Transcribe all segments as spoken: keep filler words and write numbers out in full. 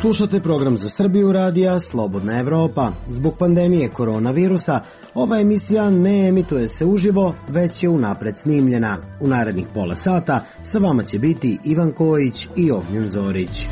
Slušate program za Srbiju radija Slobodna Evropa. Zbog pandemije koronavirusa, ova emisija ne emituje se uživo, već je unapred snimljena. U narednih pola sata sa vama će biti Ivan Kojić i Ognjen Zorić.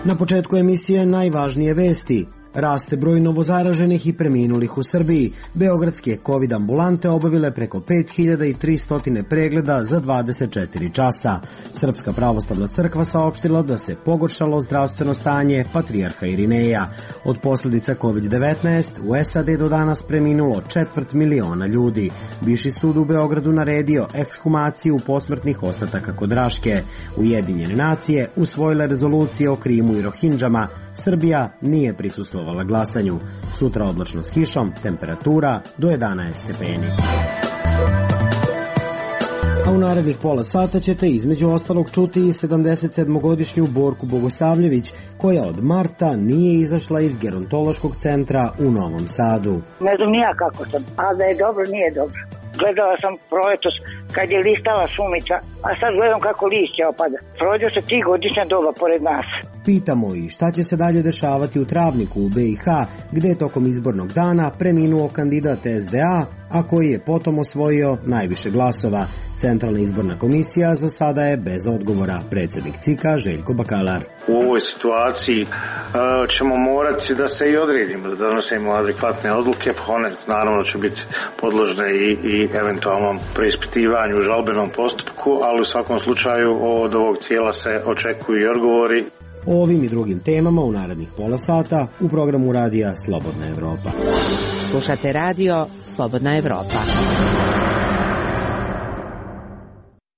Na početku emisije najvažnije vesti. Raste broj novozaraženih i preminulih u Srbiji. Beogradske COVID ambulante obavile preko pet hiljada tristo pregleda za dvadeset četiri časa. Srpska pravoslavna crkva saopštila da se pogoršalo zdravstveno stanje patrijarha Irineja. Od posljedica kovid devetnaest u S A D do danas preminulo četvrt miliona ljudi. Viši sud u Beogradu naredio ekshumaciju posmrtnih ostataka kod Raške. Ujedinjene nacije usvojile rezolucije o Krimu i Rohindžama. Srbija nije prisustvovala glasanju. Sutra oblačno s kišom, temperatura do jedanaest stepeni. A u narednih pola sata ćete između ostalog čuti i sedamdesetsedmogodišnju Borku Bogosavljević, koja od marta nije izašla iz gerontološkog centra u Novom Sadu. Ne znam nija kako sam, a da je dobro, nije dobro. Gledala sam proletos kad je listala šumica, a sad gledam kako lišće opada. Prođe se tri godišnja doba pored nas. Pitamo i šta će se dalje dešavati u Travniku u B i H, gde je tokom izbornog dana preminuo kandidat S D A, a koji je potom osvojio najviše glasova. Centralna izborna komisija za sada je bez odgovora. Predsjednik C I K-a Željko Bakalar. U ovoj situaciji ćemo morati da se i odredimo, da donosimo adekvatne odluke, pa one naravno će biti podložne i, i eventualnom preispitivanju u žalbenom postupku, ali u svakom slučaju od ovog cijela se očekuju i odgovori. O ovim i drugim temama u narednih pola sata u programu radija Slobodna Evropa. Slušate radio Slobodna Evropa.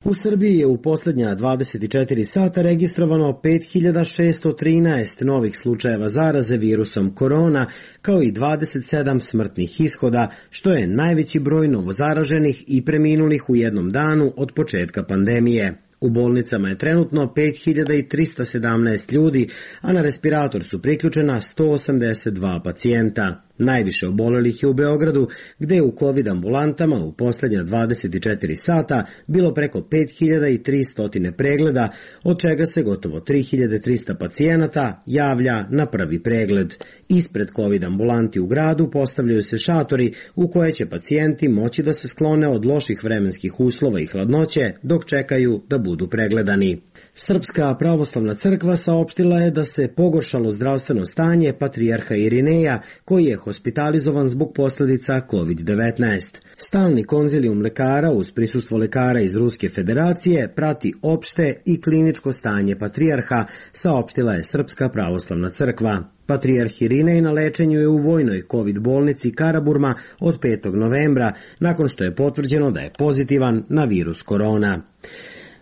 U Srbiji je u posljednja dvadeset četiri sata registrovano pet hiljada šesto trinaest novih slučajeva zaraze virusom korona, kao i dvadeset sedam smrtnih ishoda, što je najveći broj novozaraženih i preminulih u jednom danu od početka pandemije. U bolnicama je trenutno pet hiljada tristo sedamnaest ljudi, a na respirator su priključena sto osamdeset dva pacijenta. Najviše obolelih je u Beogradu, gde je u COVID ambulantama u posljednja dvadeset četiri sata bilo preko pet hiljada tristo pregleda, od čega se gotovo tri hiljade tristo pacijenata javlja na prvi pregled. Ispred COVID ambulanti u gradu postavljaju se šatori u koje će pacijenti moći da se sklone od loših vremenskih uslova i hladnoće dok čekaju da budu pregledani. Srpska pravoslavna crkva saopštila je da se pogoršalo zdravstveno stanje patrijarha Irineja, koji je hospitalizovan zbog posljedica kovid devetnaest. Stalni konzilijum lekara uz prisustvo lekara iz Ruske federacije prati opšte i kliničko stanje patrijarha, saopštila je Srpska pravoslavna crkva. Patrijarh Irinej na lečenju je u vojnoj COVID bolnici Karaburma od petog novembra, nakon što je potvrđeno da je pozitivan na virus korona.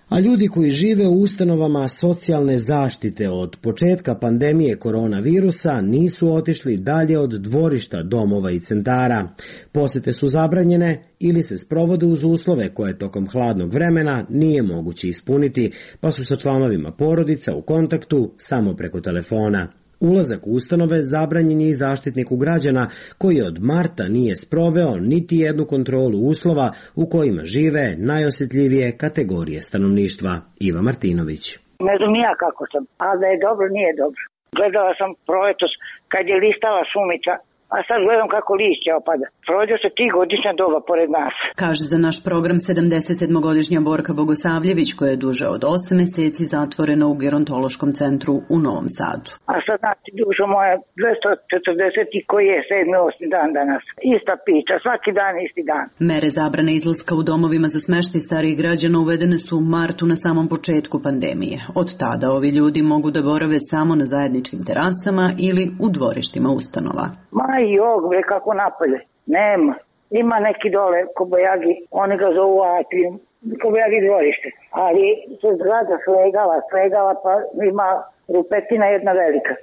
A ljudi koji žive u ustanovama socijalne zaštite od početka pandemije koronavirusa nisu otišli dalje od dvorišta domova i centara. Posete su zabranjene ili se sprovode uz uslove koje tokom hladnog vremena nije moguće ispuniti, pa su sa članovima porodica u kontaktu samo preko telefona. Ulazak u ustanove zabranjen je i zaštitniku građana, koji od marta nije sproveo niti jednu kontrolu uslova u kojima žive najosjetljivije kategorije stanovništva. Iva Martinović. Ne znam nija kako sam, a da je dobro, nije dobro. Gledala sam proletos kad je listala šumica, a sad gledam kako lišće opada. Prođe se tri godišnja doba pored nas. Kaže za naš program sedamdesetsedmogodišnja Borka Bogosavljević, koja je duže od osam meseci zatvorena u gerontološkom centru u Novom Sadu. A sad znači dušo moja dvesta četrdeset koji je sedmi osmi dan danas. Ista priča, svaki dan isti dan. Mere zabrane izlaska u domovima za smeštaj starijih građana uvedene su u martu na samom početku pandemije. Od tada ovi ljudi mogu da borave samo na zajedničkim terasama ili u dvorištima ustanova. Ma i og, bre, kako napolje. Nema. Ima neki dole kobojagi, oni ga zovu atrijum, kobojagi dvorište. Ali se zgrada slegala, slegala, pa ima rupetina jedna velika.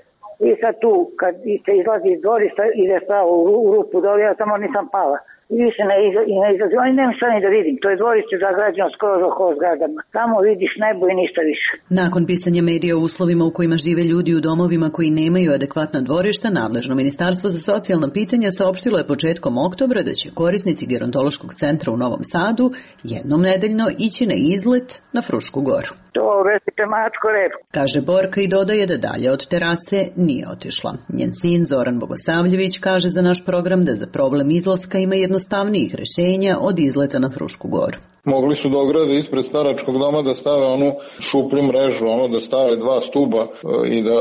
I sad tu, kad se izlazi iz dvorišta, ide pravo u rupu dole, ja samo nisam pala. I više ne, iza, i ne izlazi. Oni nema šta ni da vidim. To je dvorište zagrađeno skroz oko zgradama. Samo vidiš nebo i ništa više. Nakon pisanja medija o uslovima u kojima žive ljudi u domovima koji nemaju adekvatna dvorišta, nadležno Ministarstvo za socijalna pitanja saopštilo je početkom oktobra da će korisnici gerontološkog centra u Novom Sadu jednom nedeljno ići na izlet na Frušku goru. To vesite mačko rep. Kaže Borka i dodaje da dalje od terase nije otišla. Njen sin Zoran Bogosavljević kaže za naš program da za problem izlaska ima jednostavnijih rešenja od izleta na Frušku goru. Mogli su da ograde ispred staračkog doma, da stave onu šuplju mrežu, ono da stave dva stuba i da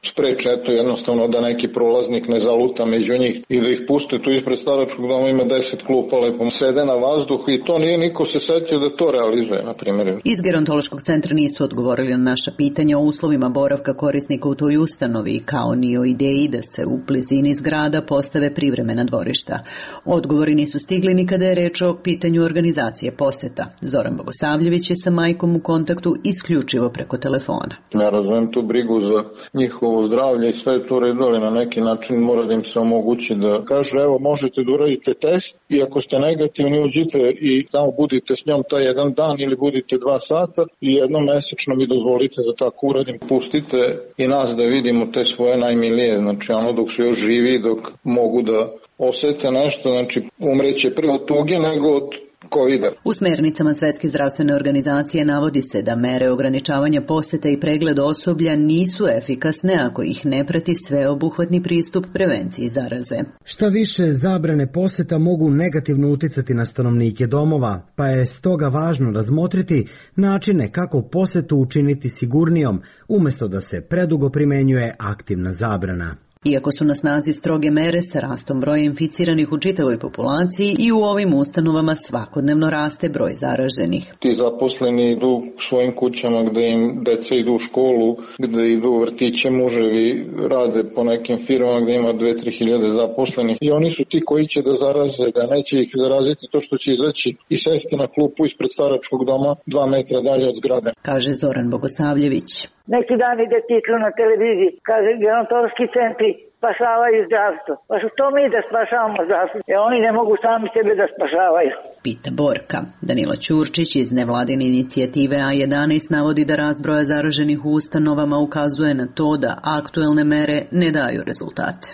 spreče eto jednostavno da neki prolaznik ne zaluta među njih i da ih puste tu ispred staračkog doma, ima deset klupa, lepo sede na vazduhu i to nije niko se setio da to realizuje, na primjer. Iz gerontološkog centra nisu odgovorili na naša pitanja o uslovima boravka korisnika u toj ustanovi, kao ni o ideji da se u blizini zgrada postave privremena dvorišta. Odgovori nisu stigli ni kada je reč o pitanju organizacije posete. Zoran Bogosavljević je sa majkom u kontaktu isključivo preko telefona. Ja razumem tu brigu za njihovo zdravlje i sve je to redu, ali na neki način mora da im se omogući da kažu evo možete da uradite test i ako ste negativni uđite i tamo budite s njom taj jedan dan ili budite dva sata i jednom mesečno mi dozvolite da tako uradim. Pustite i nas da vidimo te svoje najmilije, znači ono dok su još živi, dok mogu da osete nešto, znači umreće prvo od tuge nego od kovida. U smernicama Svetske zdravstvene organizacije navodi se da mere ograničavanja poseta i pregled osoblja nisu efikasne ako ih ne prati sveobuhvatni pristup prevenciji zaraze. Šta više, zabrane poseta mogu negativno uticati na stanovnike domova, pa je stoga važno razmotriti načine kako posetu učiniti sigurnijom, umjesto da se predugo primenjuje aktivna zabrana. Iako su na snazi stroge mere sa rastom broja inficiranih u čitavoj populaciji i u ovim ustanovama svakodnevno raste broj zaraženih. Ti zaposleni idu svojim kućama gde im deca idu u školu, gde idu u vrtiće, muževi rade po nekim firmama gde ima dve do tri hiljade zaposlenih i oni su ti koji će da zaraze, da neće ih zaraziti to što će izaći i sesti na klupu ispred staračkog doma dva metra dalje od zgrade. Kaže Zoran Bogosavljević. Neki dan ide titlu na televiziji, kaže gerontološki centri spašavaju zdravstvo. Pa što to mi da spašavamo zdravstvo? E oni ne mogu sami sebe da spašavaju. Pita Borka. Danilo Ćurčić iz nevladine inicijative A jedanaest navodi da rast broja zaraženih u ustanovama ukazuje na to da aktuelne mere ne daju rezultate.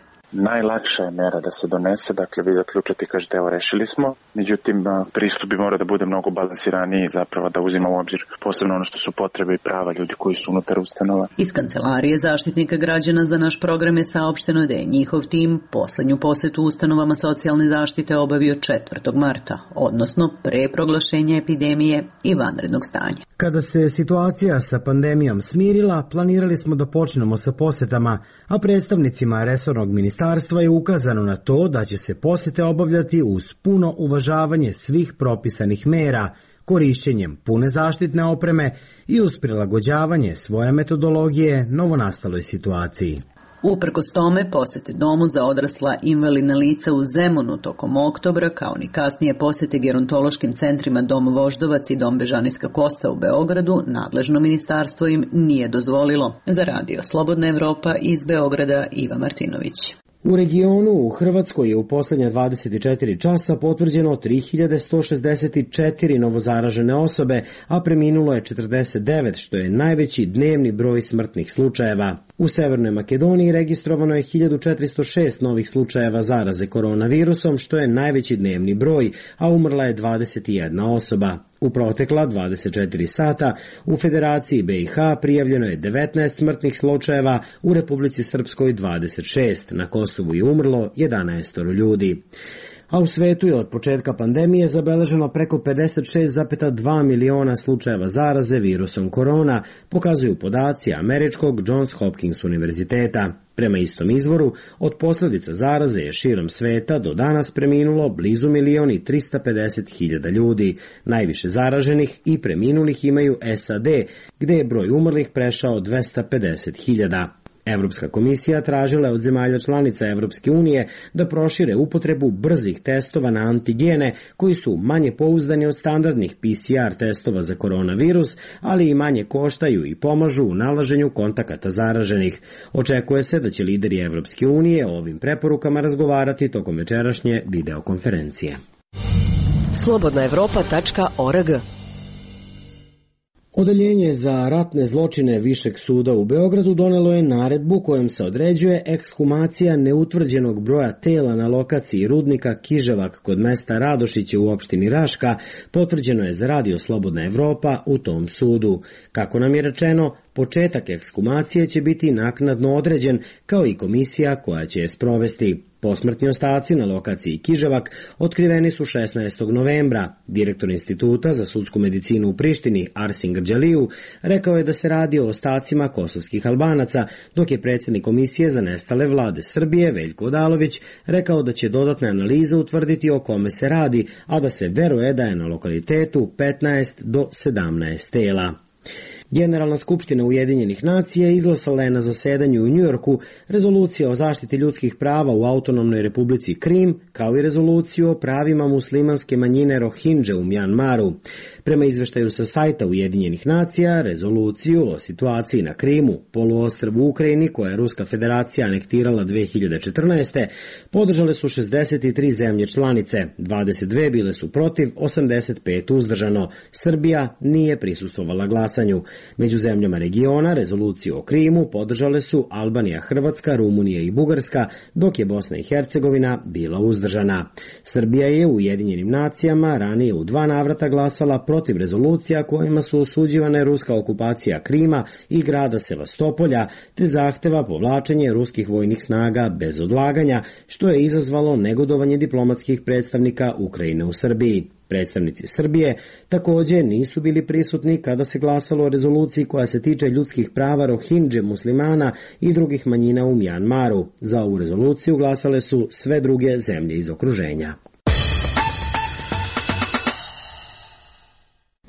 Najlakša je mera da se donese, dakle vi zaključate i kažete evo rešili smo, međutim pristup bi mora da bude mnogo balansiraniji, zapravo da uzima u obzir posebno ono što su potrebe i prava ljudi koji su unutar ustanova. Iz Kancelarije Zaštitnika građana za naš program je saopšteno da je njihov tim poslednju posetu ustanovama socijalne zaštite obavio četvrtog marta, odnosno pre proglašenja epidemije i vanrednog stanja. Kada se situacija sa pandemijom smirila, planirali smo da počnemo sa posetama, a predstavnicima resornog ministarstva je ukazano na to da će se posete obavljati uz puno uvažavanje svih propisanih mera, korišćenjem pune zaštitne opreme i uz prilagođavanje svoje metodologije novonastaloj situaciji. Uprkos tome, posete domu za odrasla invalidna lica u Zemunu tokom oktobra, kao ni kasnije posete gerontološkim centrima Dom Voždovac i Dom Bežanijska Kosa u Beogradu, nadležno ministarstvo im nije dozvolilo. Za Radio Slobodna Evropa iz Beograda Iva Martinović. U regionu u Hrvatskoj je u posljednja dvadeset četiri časa potvrđeno tri hiljade sto šezdeset četiri novozaražene osobe, a preminulo je četrdeset devet, što je najveći dnevni broj smrtnih slučajeva. U Severnoj Makedoniji registrovano je hiljadu četiristo šest novih slučajeva zaraze koronavirusom, što je najveći dnevni broj, a umrla je dvadeset jedna osoba. U protekla dvadeset četiri sata u Federaciji B i H prijavljeno je devetnaest smrtnih slučajeva, u Republici Srpskoj dvadeset šest, na Kosovu je umrlo jedanaest ljudi. A u svetu je od početka pandemije zabeleženo preko pedeset šest zarez dva miliona slučajeva zaraze virusom korona, pokazuju podaci američkog Johns Hopkins univerziteta. Prema istom izvoru, od posljedica zaraze je širom sveta do danas preminulo blizu milion i trista pedeset hiljada ljudi. Najviše zaraženih i preminulih imaju S A D, gde je broj umrlih prešao dvesta pedeset hiljada. Evropska komisija tražila je od zemalja članica Evropske unije da prošire upotrebu brzih testova na antigene koji su manje pouzdani od standardnih P C R testova za koronavirus, ali i manje koštaju i pomažu u nalaženju kontakata zaraženih. Očekuje se da će lideri Evropske unije o ovim preporukama razgovarati tokom večerašnje videokonferencije. slobodna evropa tačka org. Odeljenje za ratne zločine Višeg suda u Beogradu donelo je naredbu kojom se određuje ekshumacija neutvrđenog broja tela na lokaciji rudnika Kiževak kod mesta Radošiće u opštini Raška, potvrđeno je za Radio Slobodna Evropa u tom sudu. Kako nam je rečeno, početak ekshumacije će biti naknadno određen, kao i komisija koja će je sprovesti. Posmrtni ostaci na lokaciji Kiževak otkriveni su šesnaestog novembra. Direktor Instituta za sudsku medicinu u Prištini, Arsin Grđaliju, rekao je da se radi o ostacima kosovskih Albanaca, dok je predsjednik Komisije za nestale vlade Srbije, Veljko Odalović, rekao da će dodatne analize utvrditi o kome se radi, a da se veruje da je na lokalitetu petnaest do sedamnaest tela. Generalna skupština Ujedinjenih nacija izglasala je na zasedanju u Njujorku rezoluciju o zaštiti ljudskih prava u autonomnoj republici Krim, kao i rezoluciju o pravima muslimanske manjine Rohingje u Mjanmaru. Prema izveštaju sa sajta Ujedinjenih nacija, rezoluciju o situaciji na Krimu, poluostrvu u Ukrajini, koja je Ruska federacija anektirala dve hiljade četrnaeste. podržale su šezdeset tri zemlje članice, dvadeset dve bile su protiv, osamdeset pet uzdržano. Srbija nije prisustvovala glasanju. Među zemljama regiona rezoluciju o Krimu podržale su Albanija, Hrvatska, Rumunija i Bugarska, dok je Bosna i Hercegovina bila uzdržana. Srbija je u Ujedinjenim nacijama ranije u dva navrata glasala protiv rezolucija kojima su osuđivane ruska okupacija Krima i grada Sevastopolja, te zahteva povlačenje ruskih vojnih snaga bez odlaganja, što je izazvalo negodovanje diplomatskih predstavnika Ukrajine u Srbiji. Predstavnici Srbije također nisu bili prisutni kada se glasalo o rezoluciji koja se tiče ljudskih prava Rohingje muslimana i drugih manjina u Mjanmaru. Za ovu rezoluciju glasale su sve druge zemlje iz okruženja.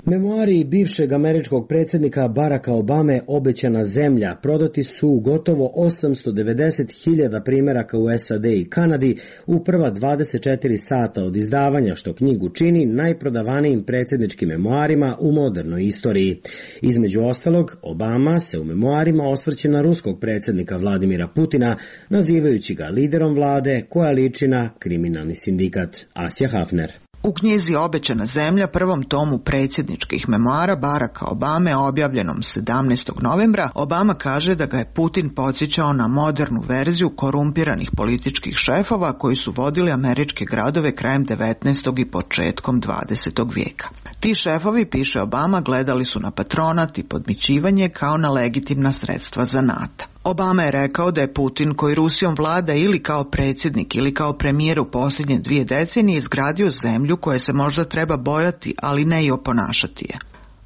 Memoari bivšeg američkog predsjednika Baracka Obame Obećana zemlja prodati su gotovo osamsto devedeset hiljada primjeraka u S A D i Kanadi u prva dvadeset četiri sata od izdavanja, što knjigu čini najprodavanijim predsjedničkim memoarima u modernoj istoriji. Između ostalog, Obama se u memoarima osvrće na ruskog predsjednika Vladimira Putina, nazivajući ga liderom vlade koja liči na kriminalni sindikat. Asja Hafner. U knjizi Obećana zemlja, prvom tomu predsjedničkih memoara Baracka Obame, objavljenom sedamnaestog novembra, Obama kaže da ga je Putin podsjećao na modernu verziju korumpiranih političkih šefova koji su vodili američke gradove krajem devetnaestog i početkom dvadesetog vijeka. Ti šefovi, piše Obama, gledali su na patronat i podmićivanje kao na legitimna sredstva zanata. Obama je rekao da je Putin, koji Rusijom vlada ili kao predsjednik ili kao premijer u posljednje dvije decenije, izgradio zemlju koje se možda treba bojati, ali ne i oponašati je.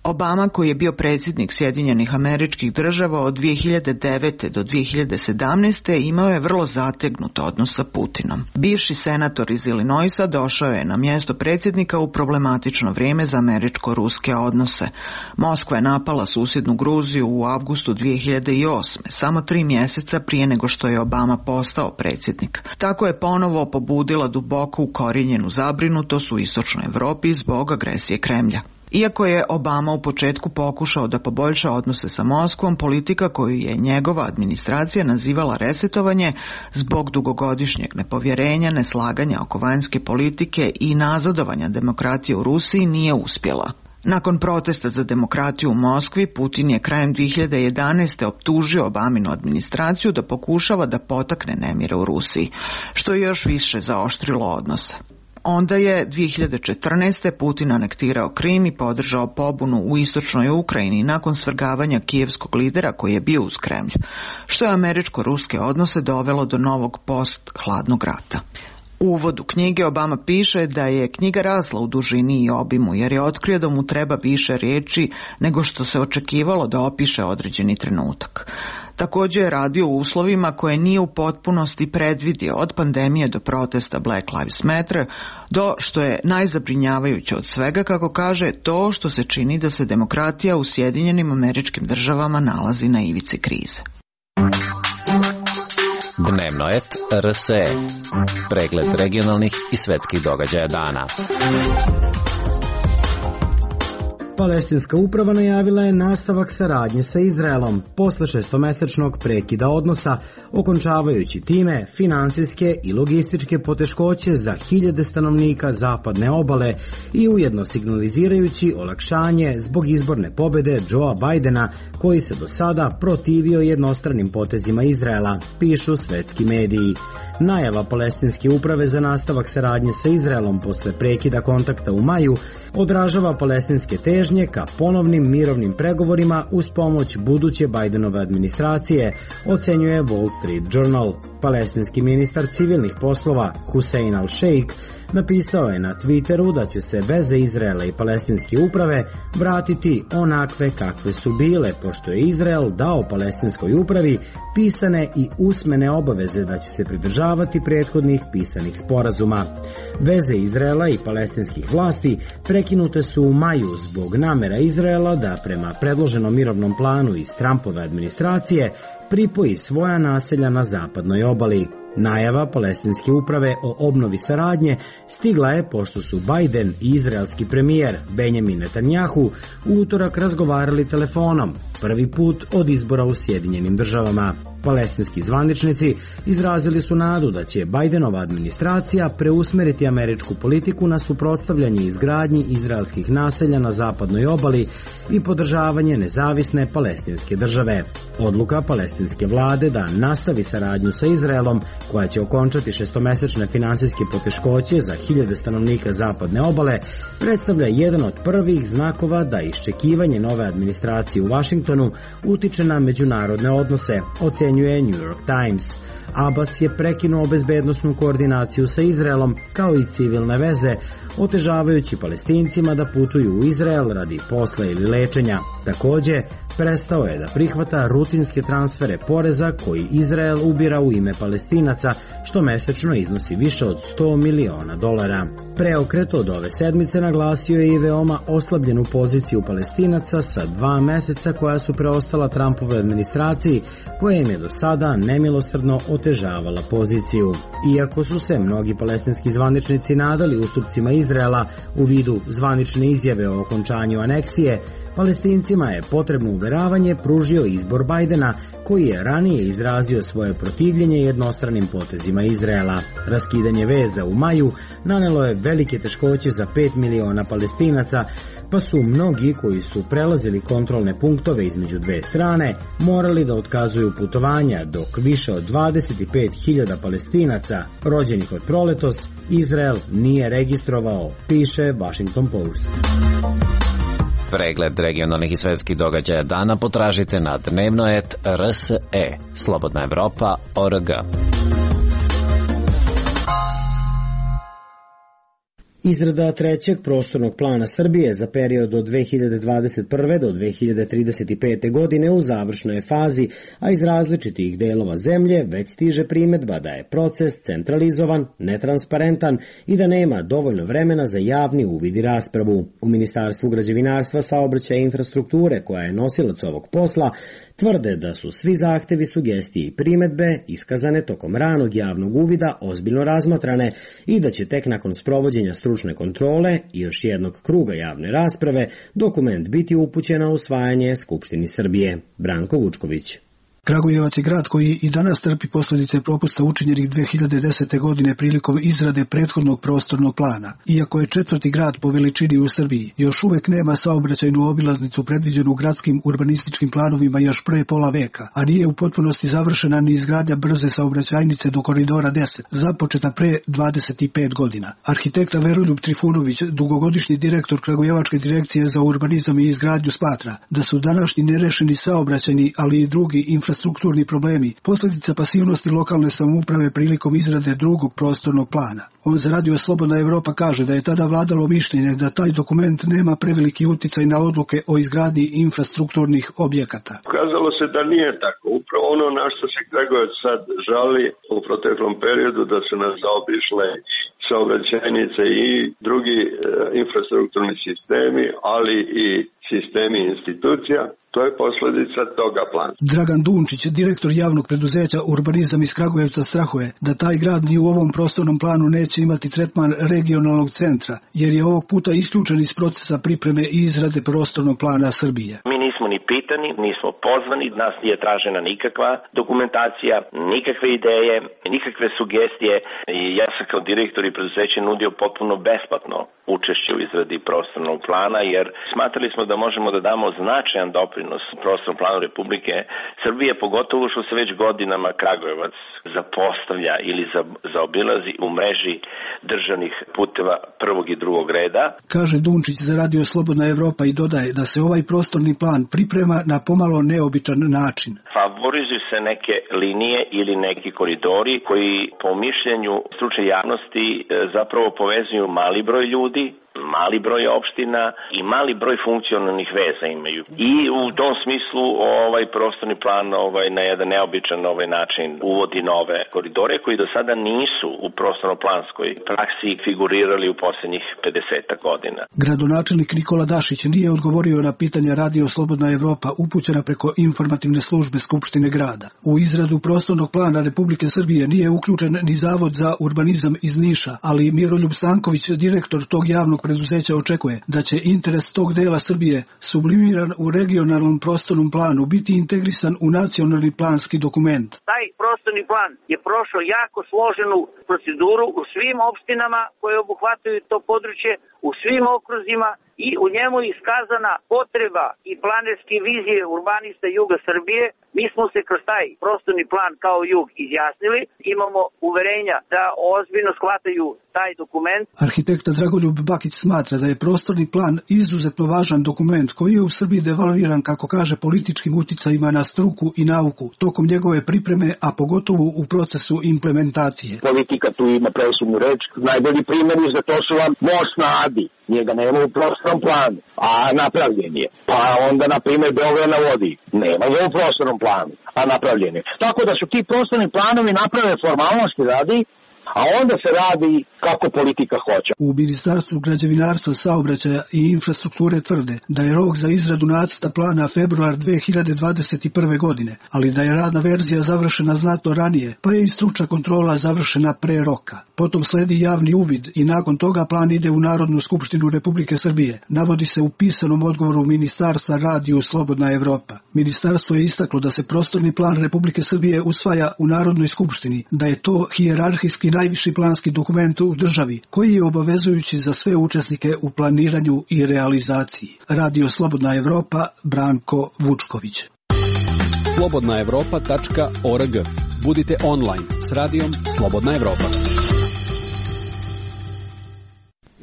Obama, koji je bio predsjednik Sjedinjenih Američkih Država od dvije hiljade devete do dvije hiljade sedamnaeste, imao je vrlo zategnut odnos sa Putinom. Bivši senator iz Illinoisa došao je na mjesto predsjednika u problematično vrijeme za američko-ruske odnose. Moskva je napala susjednu Gruziju u avgustu dvije hiljade osme, samo tri mjeseca prije nego što je Obama postao predsjednik. Tako je ponovo pobudila duboko ukorijenjenu zabrinutost u istočnoj Europi zbog agresije Kremlja. Iako je Obama u početku pokušao da poboljša odnose sa Moskvom, politika koju je njegova administracija nazivala resetovanje zbog dugogodišnjeg nepovjerenja, neslaganja oko vanjske politike i nazadovanja demokratije u Rusiji nije uspjela. Nakon protesta za demokratiju u Moskvi, Putin je krajem dvije hiljade jedanaeste optužio Obaminu administraciju da pokušava da potakne nemire u Rusiji, što je još više zaoštrilo odnose. Onda je dvije hiljade četrnaeste. Putin anektirao Krim i podržao pobunu u istočnoj Ukrajini nakon svrgavanja kijevskog lidera koji je bio uz Kremlj, što je američko-ruske odnose dovelo do novog post-hladnog rata. U uvodu knjige Obama piše da je knjiga rasla u dužini i obimu jer je otkrio da mu treba više riječi nego što se očekivalo da opiše određeni trenutak. Također je radio u uslovima koje nije u potpunosti predvidio, od pandemije do protesta Black Lives Matter, do, što je najzabrinjavajuće od svega, kako kaže, to što se čini da se demokratija u Sjedinjenim Američkim Državama nalazi na ivici krize. Dnevno et R S E. Pregled regionalnih i svetskih događaja dana. Palestinska uprava najavila je nastavak saradnje sa Izraelom posle šestomesečnog prekida odnosa, okončavajući time finansijske i logističke poteškoće za hiljade stanovnika zapadne obale i ujedno signalizirajući olakšanje zbog izborne pobede Joea Bidena, koji se do sada protivio jednostranim potezima Izraela, pišu svetski mediji. Najava Palestinske uprave za nastavak saradnje sa Izraelom posle prekida kontakta u maju odražava palestinske težnje ka ponovnim mirovnim pregovorima uz pomoć buduće Bidenove administracije, ocenjuje Wall Street Journal. Palestinski ministar civilnih poslova Hussein al-Sheikh napisao je na Twitteru da će se veze Izraela i Palestinske uprave vratiti onakve kakve su bile, pošto je Izrael dao Palestinskoj upravi pisane i usmene obaveze da će se pridržavati prethodnih pisanih sporazuma. Veze Izraela i palestinskih vlasti prekinute su u maju zbog namera Izraela da prema predloženom mirovnom planu iz Trumpove administracije pripoji svoja naselja na zapadnoj obali. Najava Palestinske uprave o obnovi saradnje stigla je pošto su Biden i izraelski premijer Benjamin Netanjahu u utorak razgovarali telefonom, prvi put od izbora u Sjedinjenim državama. Palestinski zvaničnici izrazili su nadu da će Bidenova administracija preusmeriti američku politiku na suprotstavljanje izgradnji izraelskih naselja na zapadnoj obali i podržavanje nezavisne palestinske države. Odluka palestinske vlade da nastavi saradnju sa Izraelom, koja će okončati šestomesečne finansijske poteškoće za hiljade stanovnika zapadne obale, predstavlja jedan od prvih znakova da iščekivanje nove administracije u Vašingtonu utiče na međunarodne odnose, ocenjuje New York Times. Abbas je prekinuo bezbednosnu koordinaciju sa Izraelom kao i civilne veze, otežavajući Palestincima da putuju u Izrael radi posla ili lečenja. Takođe, prestao je da prihvata rutinske transfere poreza koji Izrael ubira u ime Palestinaca, što mesečno iznosi više od sto miliona dolara. Preokret od ove sedmice naglasio je i veoma oslabljenu poziciju Palestinaca sa dva meseca koja su preostala Trumpove administraciji, koja im je do sada nemilosrdno otežavala poziciju. Iako su se mnogi palestinski zvaničnici nadali ustupcima Izraela u vidu zvanične izjave o okončanju aneksije, Palestincima je potrebno uveravanje pružio izbor Bidena, koji je ranije izrazio svoje protivljenje jednostranim potezima Izraela. Raskidanje veza u maju nanelo je velike teškoće za pet miliona Palestinaca, pa su mnogi koji su prelazili kontrolne punktove između dve strane morali da otkazuju putovanja, dok više od dvadeset pet hiljada Palestinaca rođenih od proletos Izrael nije registrovao, piše Washington Post. Pregled regionalnih i svetskih događaja dana potražite na dnevno et r s e, slobodna evropa o r g. Izrada trećeg prostornog plana Srbije za period od dve hiljade dvadeset prve do dve hiljade trideset pete. godine u završnoj je fazi, a iz različitih delova zemlje već stiže primedba da je proces centralizovan, netransparentan i da nema dovoljno vremena za javni uvid i raspravu. U Ministarstvu građevinarstva, saobraćaja i infrastrukture, koja je nosilac ovog posla, tvrde da su svi zahtevi, sugestije i primedbe iskazane tokom ranog javnog uvida ozbiljno razmatrane i da će tek nakon sprovođenja stručne kontrole i još jednog kruga javne rasprave dokument biti upućen na usvajanje Skupštini Srbije. Branko Vučković. Kragujevac je grad koji i danas trpi posljedice propusta učinjenih dve hiljade desete. godine prilikom izrade prethodnog prostornog plana. Iako je četvrti grad po veličini u Srbiji, još uvek nema saobraćajnu obilaznicu predviđenu gradskim urbanističkim planovima još pre pola veka, a nije u potpunosti završena ni izgradnja brze saobraćajnice do koridora deset, započeta pre dvadeset pet godina. Arhitekta Veroljub Trifunović, dugogodišnji direktor Kragujevačke direkcije za urbanizam i izgradnju, smatra da su današnji nerešeni saobraćajni, ali i drugi infrastrukturni infrastrukturni problemi, posljedica pasivnosti lokalne samouprave prilikom izrade drugog prostornog plana. On za radio Slobodna Evropa kaže da je tada vladalo mišljenje da taj dokument nema preveliki uticaj na odluke o izgradnji infrastrukturnih objekata. Ukazalo se da nije tako. Upravo ono na što se Kragujevac sad žali u proteklom periodu, da su nas zaobišle saobraćajnice i drugi e, infrastrukturni sistemi, ali i sistemi institucija, to je posledica toga plana. Dragan Dunčić, direktor javnog preduzeća Urbanizam iz Kragujevca, strahuje da taj grad ni u ovom prostornom planu neće imati tretman regionalnog centra, jer je ovog puta isključen iz procesa pripreme i izrade prostornog plana Srbije. Mi nismo ni pitani, nismo pozvani, nas nije tražena nikakva dokumentacija, nikakve ideje, nikakve sugestije. I ja sam kao direktor i preduzeće nudio potpuno besplatno učešće u izradi prostornog plana, jer smatrali smo da možemo da damo značajan doprinos prostornom planu Republike Srbije, pogotovo što se već godinama Kragujevac zapostavlja ili zaobilazi u mreži državnih puteva prvog i drugog reda. Kaže Dunčić za Radio Slobodna Evropa i dodaje da se ovaj prostorni plan priprema na pomalo neobičan način. Favorizuju se neke linije ili neki koridori koji po mišljenju stručne javnosti zapravo povezuju mali broj ljudi, mali broj opština i mali broj funkcionalnih veza imaju. I u tom smislu ovaj prostorni plan ovaj na jedan neobičan ovaj način uvodi nove koridore koji do sada nisu u prostorno-planskoj praksi figurirali u poslednjih pedeset godina. Gradonačelnik Nikola Dašić nije odgovorio na pitanja Radio Slobodna Evropa upućena preko informativne službe Skupštine grada. U izradu prostornog plana Republike Srbije nije uključen ni Zavod za urbanizam iz Niša, ali Miroljub Stanković, direktor tog javnog preduzeća, očekuje da će interes tog dela Srbije sublimiran u regionalnom prostornom planu biti integrisan u nacionalni planski dokument. Taj prostorni plan je prošao jako složenu proceduru u svim opštinama koje obuhvataju to područje, u svim okruzima i u njemu je iskazana potreba i planerske vizije urbanista juga Srbije. Mi smo se kroz taj prostorni plan kao jug izjasnili, imamo uverenja da ozbiljno shvataju taj dokument. Arhitekta Dragoljub Bakić smatra da je prostorni plan izuzetno važan dokument koji je u Srbiji devalviran, kako kaže, političkim uticajima na struku i nauku tokom njegove pripreme, a pogotovo u procesu implementacije. Politika tu ima presudnu reč. Najbolji primjer za to su vam most na Adi. Njega nema u prostornom planu, a napravljen je. Pa onda, na primjer, Beograd na vodi. Nema ga u prostornom planu, a napravljen je. Tako da su ti prostorni planovi naprave formalnosti radi, a onda se radi kako politika hoće. U Ministarstvu građevinarstva, saobraćaja i infrastrukture tvrde da je rok za izradu nacrta plana februar dve hiljade dvadeset prve. godine, ali da je radna verzija završena znatno ranije, pa je i stručna kontrola završena pre roka. Potom sledi javni uvid i nakon toga plan ide u Narodnu skupštinu Republike Srbije, navodi se u pisanom odgovoru Ministarstva Radio Slobodna Evropa. Ministarstvo je istaklo da se prostorni plan Republike Srbije usvaja u Narodnoj skupštini, da je to hijerarhijski najviši planski dokument u državi, koji je obavezujući za sve učesnike u planiranju i realizaciji. Radio Slobodna Evropa, Branko Vučković. slobodna evropa tačka org. Budite online s radijom Slobodna Evropa.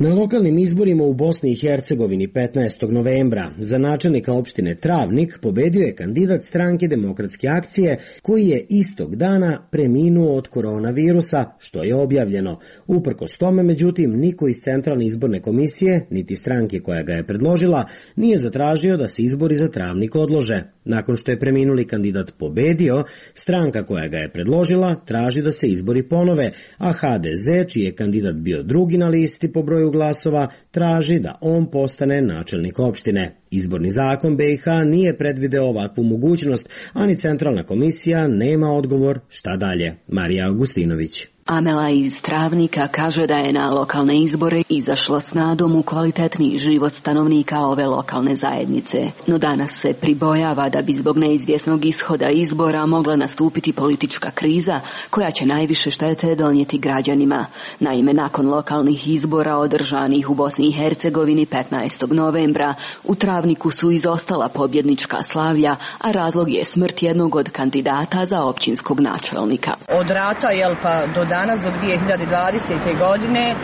Na lokalnim izborima u Bosni i Hercegovini petnaestog novembra za načelnika opštine Travnik pobedio je kandidat stranke Demokratske akcije koji je istog dana preminuo od koronavirusa, što je objavljeno. Uprkos tome, međutim, niko iz Centralne izborne komisije, niti stranke koja ga je predložila, nije zatražio da se izbori za Travnik odlože. Nakon što je preminuli kandidat pobedio, stranka koja ga je predložila traži da se izbori ponove, a ha de ze, čiji je kandidat bio drugi na listi po broju glasova, traži da on postane načelnik opštine. Izborni zakon be i ha nije predvideo ovakvu mogućnost, a ni Centralna komisija nema odgovor šta dalje. Marija Augustinović. Amela iz Travnika kaže da je na lokalne izbore izašla s nadom u kvalitetniji život stanovnika ove lokalne zajednice. No danas se pribojava da bi zbog neizvjesnog ishoda izbora mogla nastupiti politička kriza koja će najviše štete donijeti građanima. Naime, nakon lokalnih izbora održanih u Bosni i Hercegovini petnaestog novembra, u Travniku su izostala pobjednička slavlja, a razlog je smrt jednog od kandidata za općinskog načelnika. Od rata, jel pa do danas, do dvije hiljade dvadesete. godine,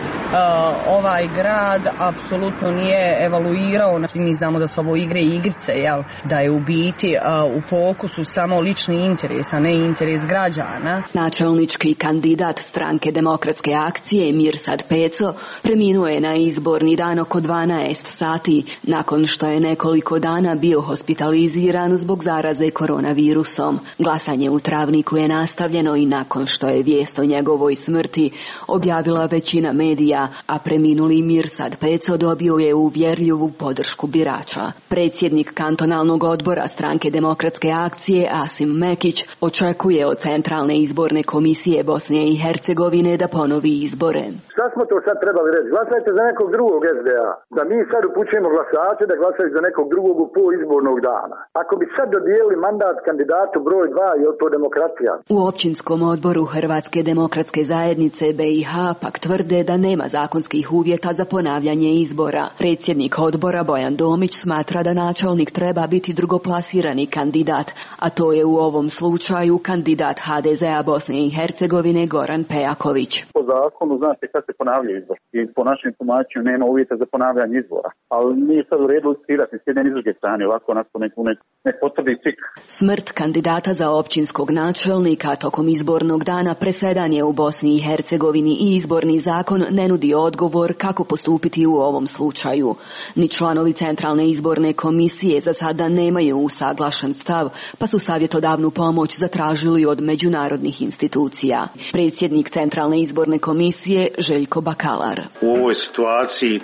ovaj grad apsolutno nije evaluirao. Mi znamo da su ovo igre i igrice, jel? Da je u biti u fokusu samo lični interes, a ne interes građana. Načelnički kandidat stranke Demokratske akcije Mirsad Peco preminuo je na izborni dan oko dvanaest sati, nakon što je nekoliko dana bio hospitaliziran zbog zaraze koronavirusom. Glasanje u Travniku je nastavljeno i nakon što je vijest o njegovoj njegovoj smrti objavila većina medija, a preminuli Mirsad Peco dobio je uvjerljivu podršku birača. Predsjednik kantonalnog odbora stranke Demokratske akcije Asim Mekić očekuje od Centralne izborne komisije Bosne i Hercegovine da ponovi izbore. Šta smo to sad trebali reći? Glasajte za nekog drugog S D A. Da mi sad upućujemo glasače da glasaju za nekog drugog u pol izbornog dana. Ako bi sad dodijelili mandat kandidatu broj dva, je to demokratija? U općinskom odboru Hrvatske demokratske zajednice B i H pak tvrde da nema zakonskih uvjeta za ponavljanje izbora. Predsjednik odbora Bojan Domić smatra da načelnik treba biti drugoplasirani kandidat, a to je u ovom slučaju kandidat H D Z A Bosne i Hercegovine Goran Pejaković. Po zakonu znate kad se ponavlja izbor i po našem tumačenju nema uvjeta za ponavljanje izbora, ali nije sad u redu listirati s jedne i s druge strane, ovako onako nek, nek, nek potvrdi cik. Smrt kandidata za općinskog načelnika tokom izbornog dana presedan je u Bosni i Hercegovini i izborni zakon ne nudi odgovor kako postupiti u ovom slučaju. Ni članovi Centralne izborne komisije za sada nemaju usaglašen stav, pa su savjetodavnu pomoć zatražili od međunarodnih institucija. Predsjednik Centralne izborne komisije Željko Bakalar. U ovoj situaciji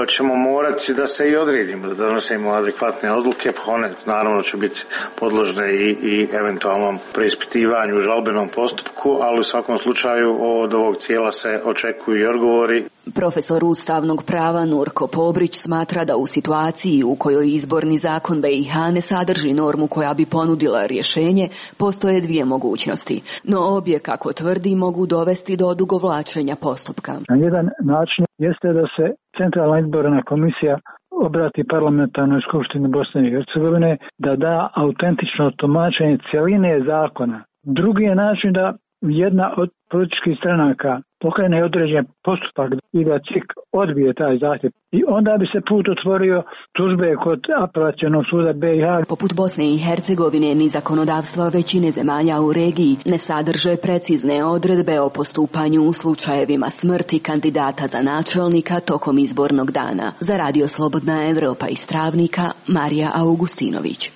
ćemo morati da se i odredimo, da donosimo adekvatne odluke, one naravno će biti podložne i, i eventualnom preispitivanju u žalbenom postupku, ali u svakom slučaju od ovog cijela se očekuju i odgovori. Profesor ustavnog prava Nurko Pobrić smatra da u situaciji u kojoj izborni zakon B i H ne sadrži normu koja bi ponudila rješenje, postoje dvije mogućnosti, no obje, kako tvrdi, mogu dovesti do odugovlačenja postupka. Na jedan način jeste da se Centralna izborna komisija obrati parlamentarnoj skupštini Bosne i Hercegovine da da autentično tumačenje cjeline zakona. Drugi je način da jedna od političkih stranaka pokrene određen postupak i da C I K odbije taj zahtjev. I onda bi se put otvorio tužbe kod apelacionog suda B i H. Poput Bosne i Hercegovine, ni zakonodavstva većine zemalja u regiji ne sadrže precizne odredbe o postupanju u slučajevima smrti kandidata za načelnika tokom izbornog dana. Za Radio Slobodna Evropa iz Travnika, Marija Augustinović.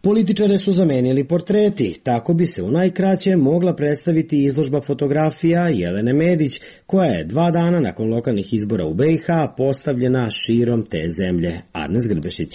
Političare su zamenili portreti, tako bi se u najkraće mogla predstaviti izložba fotografija Jelene Medić, koja je dva dana nakon lokalnih izbora u B i H postavljena širom te zemlje. Arnes Grbešić.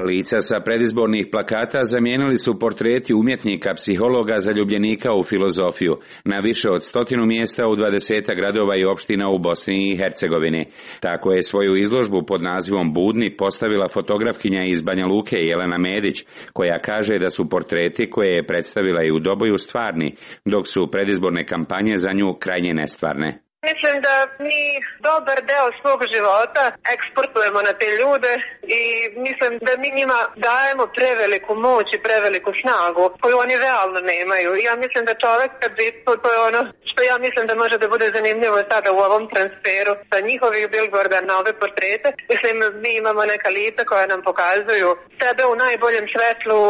Lica sa predizbornih plakata zamijenili su portreti umjetnika, psihologa, zaljubljenika u filozofiju na više od stotinu mjesta u dvadesetak gradova i opština u Bosni i Hercegovini. Tako je svoju izložbu pod nazivom Budni postavila fotografkinja iz Banja Luke Jelena Medić, koja kaže da su portreti koje je predstavila i u Doboju stvarni, dok su predizborne kampanje za nju krajnje nestvarne. Mislim da mi dobar deo svog života eksportujemo na te ljude i mislim da mi njima dajemo preveliku moć i preveliku snagu koju oni realno nemaju. Ja mislim da čovjek kad bi, to je ono što ja mislim da može da bude zanimljivo sada u ovom transferu sa njihovih billboarda na ove portrete. Mislim, mi imamo neka lica koja nam pokazuju sebe u najboljem svetlu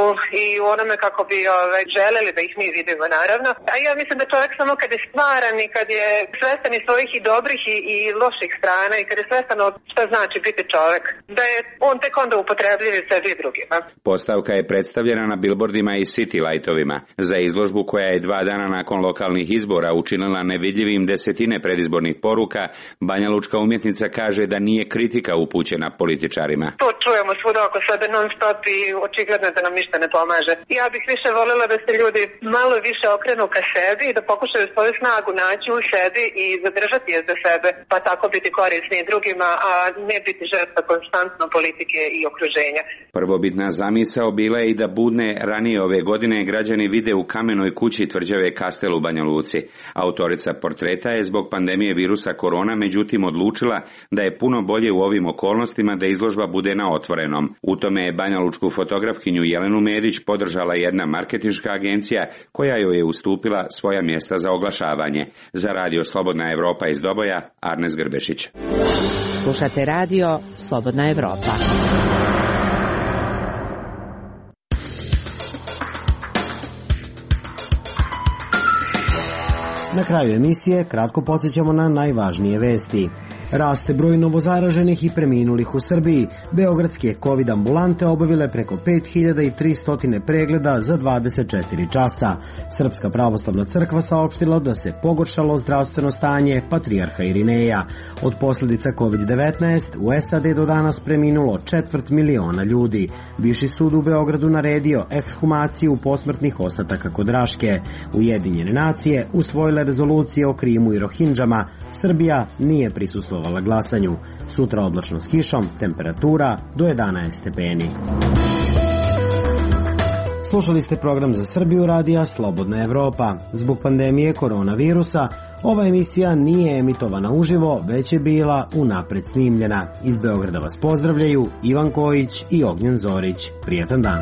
i u onome kako bi ove, želeli da ih mi vidimo, naravno. A ja mislim da čovjek samo kad je stvaran i kad je svestan i svojih i dobrih i, i loših strana i kad je svestan od šta znači biti čovjek, da je on tek onda upotrebljiv i sebi i drugima. Postavka je predstavljena na billboardima i city lightovima. Za izložbu koja je dva dana nakon lokalnih izbora učinila nevidljivim desetine predizbornih poruka, banjalučka umjetnica kaže da nije kritika upućena političarima. To čujemo svuda oko sebe non stop i očigledno da nam ništa ne pomaže. Ja bih više voljela da se ljudi malo više okrenu ka sebi i da pokušaju svoju snagu naći u sebi i zadržati je za sebe, pa tako biti korisni drugima, a ne biti žrtva konstantno politike i okruženja. Prvobitna zamisao bila je i da Budne ranije ove godine građani vide u kamenoj kući tvrđave Kastel u Banja Luci. Autorica portreta je zbog pandemije virusa korona međutim odlučila da je puno bolje u ovim okolnostima da izložba bude na otvorenom. U tome je banjalučku fotografkinju Jelenu Medić podržala jedna marketinška agencija koja joj je ustupila svoja mjesta za oglašavanje. Za Radio Slobodna Evropa iz Doboja, Arnes Grbešić. Slušate Radio Slobodna Evropa. Na kraju emisije kratko podsjećamo na najvažnije vesti. Raste broj novozaraženih i preminulih u Srbiji. Beogradske COVID ambulante obavile preko pet hiljada tristo pregleda za dvadeset četiri časa. Srpska pravoslavna crkva saopštila da se pogoršalo zdravstveno stanje patrijarha Irineja. Od posljedica COVID devetnaest u S A D do danas preminulo četvrt miliona ljudi. Viši sud u Beogradu naredio ekshumaciju posmrtnih ostataka kod Raške. Ujedinjene nacije usvojile rezolucije o Krimu i Rohindžama. Srbija nije prisustvovala glasanju. Sutra oblačno s kišom, temperatura do jedanaest stepeni. Slušali ste program za Srbiju radija Slobodna Evropa. Zbog pandemije koronavirusa ova emisija nije emitovana uživo, već je bila unapred snimljena. Iz Beograda vas pozdravljaju Ivan Kojić i Ognjen Zorić. Prijetan dan.